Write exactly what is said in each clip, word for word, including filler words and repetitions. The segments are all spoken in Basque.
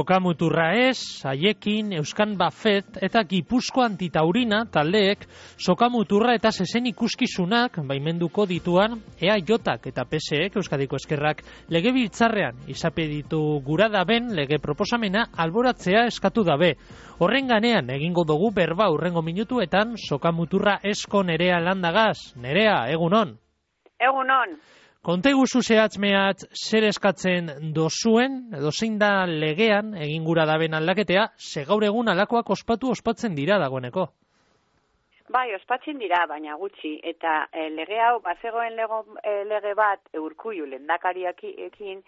Sokamuturra ez, haiekin, Euskan Bafet eta Gipuzko Antitaurina taldeek sokamuturra eta zezen ikuskizunak baimenduko dituan E A Jak eta P S ek Euskadiko Ezkerrak legebiltzarrean izapeditu gura daben lege proposamena alboratzea eskatu dabe. Horren ganean egingo dugu berba hurrengo minutuetan sokamuturra esko Nerea Landagaz. Nerea, egunon? Egunon. Konte guzu zehatz-mehatz zer eskatzen dozuen, edo zein da legean egin gura daben aldaketea, ze gaur egun alakoak ospatu ospatzen dira dagoeneko. Bai, ospatzen dira, baina gutxi, eta e, lege hau, bazegoen lego, e, lege bat Urkullu lehendakariarekin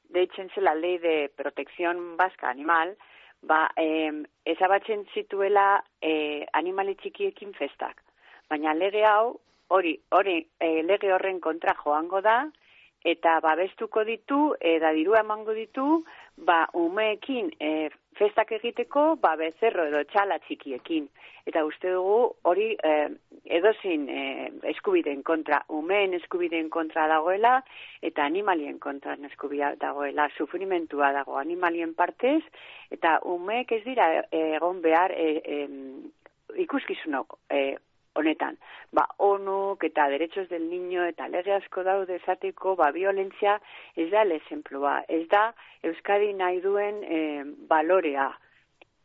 deitzen zela Ley de Protección Vasca Animal, ba, e, ezabatzen zituela e, animali txikiekin festak. Baina lege hau, hori, hori e, lege horren kontra joango da, eta babestuko ditu, eta dirua emango ditu, ba, umeekin e, festak egiteko, ba, bezerro edo txala txikiekin. Eta uste dugu hori e, edozin e, eskubideen kontra, umeen eskubideen kontra dagoela, eta animalien kontra eskubidea dagoela, sufrimentua dago animalien partez, eta umeek ez dira e, egon behar e, e, ikuskizunok e, honetan. Ba, onuk eta derechos del niño eta lege asko daude esateko, ba, violentzia ez da lezenplua, ez da Euskadi nahi duen e, balorea.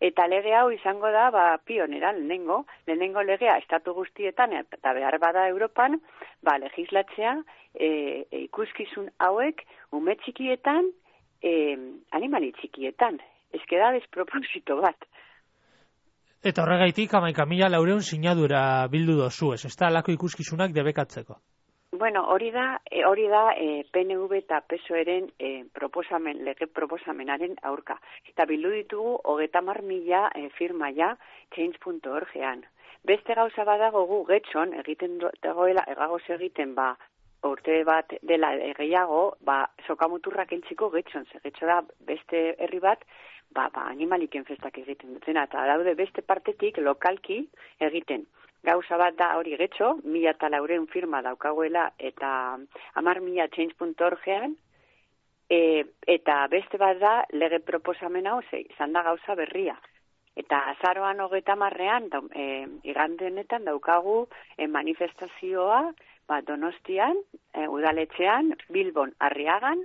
Eta lege hau izango da, ba, pionera, lehenengo, lehenengo legea estatu guztietan, eta behar bada Europan, ba, legislatzea e, e, ikuskizun hauek ume txikietan, e, animali txikietan. Ez da desproposito bat. Eta horregaitik, hamaika mila laureun sinadura bildu dozu, ez, ez da alako ikuskizunak debekatzeko? Bueno, hori da, e, hori da e, P N V eta P S O E-ren e, proposamen, lege proposamenaren aurka. Eta bildu ditugu hogeita hamar mila e, firma ja change punto org-ean. Beste gauza badago gu getxon, egiten dagoela, egagoz egiten, ba, urte bat dela gehiago, ba, sokamuturrak entziko getxon, ze getxo da beste herri bat, ba, ba, animaliken festak egiten dutena, eta daude beste partetik lokalki egiten. Gauza bat da hori getxo, mila eta laureun firma daukaguela, eta hamar mila change punto org-ean, e, eta beste bat da lege proposamen hau, ze, izan da gauza berria. Eta azaroan hogeita hamarrean, e, igande honetan daukagu e, manifestazioa, ba, Donostian, e, udaletxean, Bilbon, Arriagan,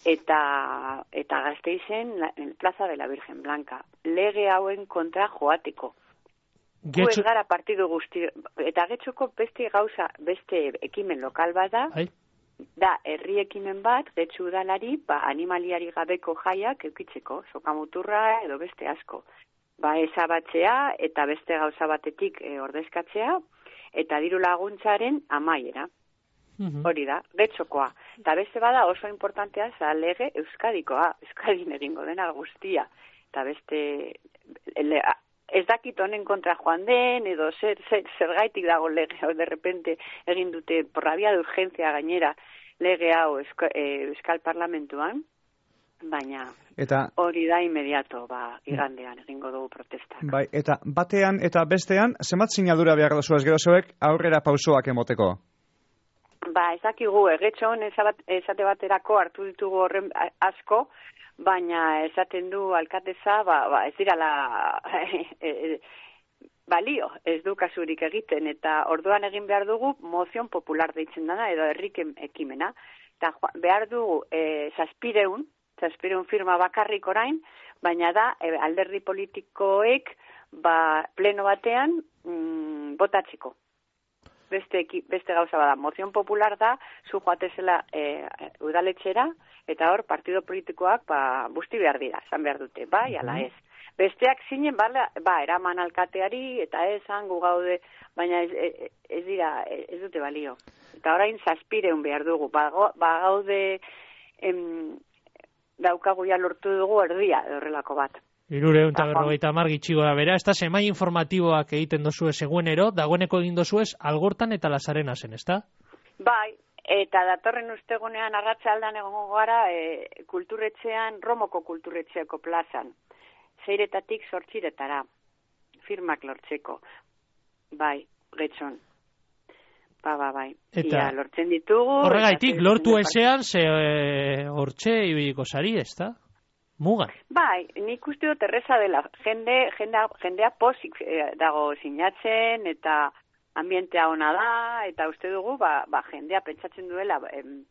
eta eta Gasteizen en Plaza de la Virgen Blanca. Lege hauen kontra joateko. Getxo... Gu ez gara partidu guzti, eta getxoko beste gauza, beste ekimen lokal bat da, Hai. Da herri ekimen bat, getxo udalari, ba, animaliari gabeko jaiak eukitzeko, sokamuturra edo beste asko. Ba, ezabatzea eta beste gauza batetik e, ordezkatzea, eta diru laguntzaren amaiera. Hori da, getxokoa. Eta beste bada oso importantea za lege Euskadikoa, Euskadin egingo dena guztia. Eta beste, le, ez dakit honen kontra joan den, edo zer, zer, zer gaitik dago lege hau, de repente egin dute, por la vía de urgencia gainera, lege hau Euska, eh, Euskal Parlamentuan, baina eta hori da inmediato, ba, igandean egingo dugu protestak. Bai, eta batean eta bestean, zenbat sinadura behar duzu ez gero zeuek aurrera pausoak emoteko? Ba, ez dakigu, egetxon esate baterako hartu ditugu horren asko, baina esaten du alkateza, ba, ba ez dirala e, e, balio, ez du kasurik egiten, eta orduan egin behar dugu mozion popular deitzen dana, edo herriken ekimena, eta behar dugu e, zazpireun, zazpireun firma bakarrik orain, baina da e, alderdi politikoek ba, pleno batean mm, botatzeko. Beste, beste gauza bada, mozion popular da, zu joatezela e, udaletxera, eta hor partido politikoak ba, busti behar dira, esan behar dute, bai, ala ez. Besteak zinen, ba, ba eraman alkateari, eta esan gu gaude, baina ez, ez, ez dira, ez dute balio. Eta orain zazpireun behar dugu, ba, ba gaude em, daukagu ja lortu dugu erdia, horrelako bat. Hirureun eta berrogeita hamar gitxigo da bera, ez da semai informatiboak egiten dozue seguenero, dagoeneko egin dozuez Algortan eta Lasarena zen, ez da? Bai, eta datorren ustegunean arratsaldean egongo gara e, kulturretxean, Romoko kulturretxeako plazan, zeiretatik zortziretara, firmak lortzeko, bai, getxon. Ba, ba, bai. Eta Ia, lortzen ditugu. Horregaitik, lortu ezean, ze hortxe ibiliko sari, ez da? mugan. Bai, nik uste dut erreza dela. Jende, jendea, jendea pozik eh, dago sinatzen, eta ambientea ona da, eta uste dugu, ba, ba jendea pentsatzen duela em,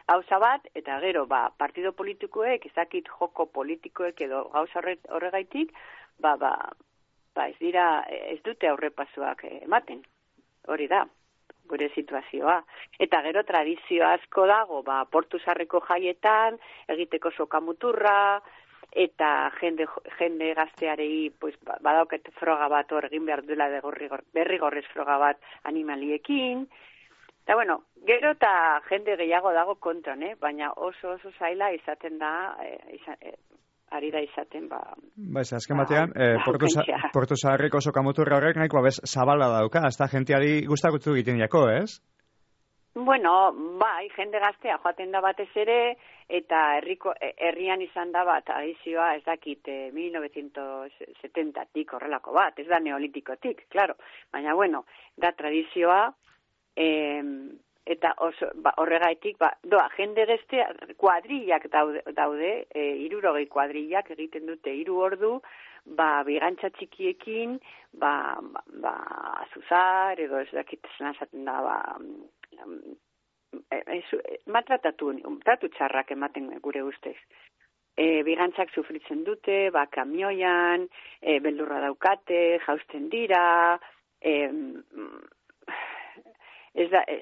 gauza bat, eta gero, ba, partido politikoek, ezakit joko politikoek edo gauza horregaitik, ba, ba, ba, ez dira, ez dute aurrepasuak ematen. Hori da, gure situazioa. Eta gero tradizio asko dago, ba, Portu Zaharreko jaietan, egiteko sokamuturra, eta jende, jende gaztearei, pues, badauket froga bat hor egin behar duela derrigorrez froga bat animaliekin. Eta bueno, gero eta jende gehiago dago kontran, eh? Baina oso oso zaila izaten da, eh, izan, eh, ari da izaten, ba... Ba, ez, azken batean, eh, Portu Zaharreko sokamuturra horrek nahikoa bez zabala dauka, ez da gentiari gustakutu egiten jako, ez? Bueno, bai, jende gaztea joaten da batez ere, eta herriko herrian izan da bat, tradizioa ez dakit, eh, mil novecientos setentatik horrelako bat, ez da neolitikotik, claro. Baina, bueno, da tradizioa, eh, eta oso, ba, horregaitik, ba, doa, jende gaztea, kuadrillak daude, daude eh, hirurogei kuadrillak egiten dute hiru ordu, ba, bigantza txikiekin, ba, ba, ba azuzar, edo ez dakit esaten da, ba, maltratatu, tratu txarrak ematen gure ustez. E, bigantzak sufritzen dute, ba, kamioian, e, beldurra daukate, jausten dira, e, ez da, e,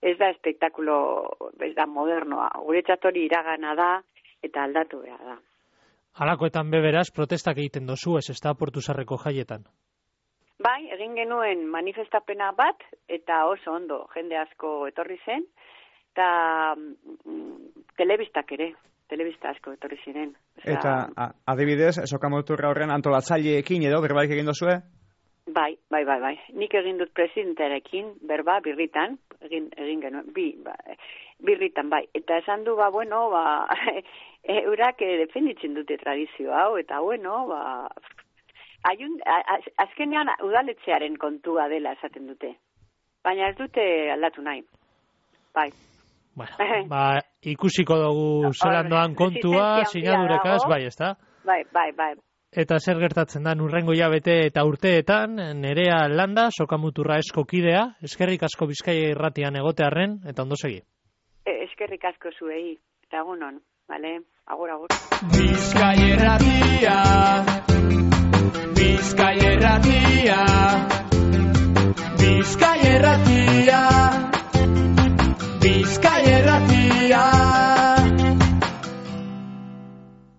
ez da espektakulo, ez da modernoa, gure txatori iragana da, eta aldatu behar da. Halakoetan beberaz, protestak egiten dozu, ez ez da Portu Zaharreko jaietan? Bai, egin genuen manifestapena bat, eta oso ondo jende asko etorri zen, eta mm, telebistak ere, telebista asko etorri ziren. Osea, eta a, adibidez, sokamuturra horren antolatzaileekin edo, berbaik egin dozue? Bai, bai, bai, bai. Nik egin dut presidentearekin, berba, birritan, egin, egin genuen, bi, ba, birritan, bai. Eta esan du, ba, bueno, ba, eurak defenditzen dute tradizio hau, eta bueno, ba... Aiun, azkenean udaletxearen kontua dela esaten dute. Baina ez dute aldatu nahi. Bai. Bueno, ba, ikusiko dugu zelan doan kontua, sinadurekaz, bai, ez da? Bai, bai, bai. Eta zer gertatzen da, urrengo hilabete eta urteetan, Nerea Landa, sokamuturra esko kidea, eskerrik asko Bizkaia irratian egotearren, eta ondo segi. E, eskerrik asko zuei, eta egunon, bale? Agur, agur. Bizkaia irratia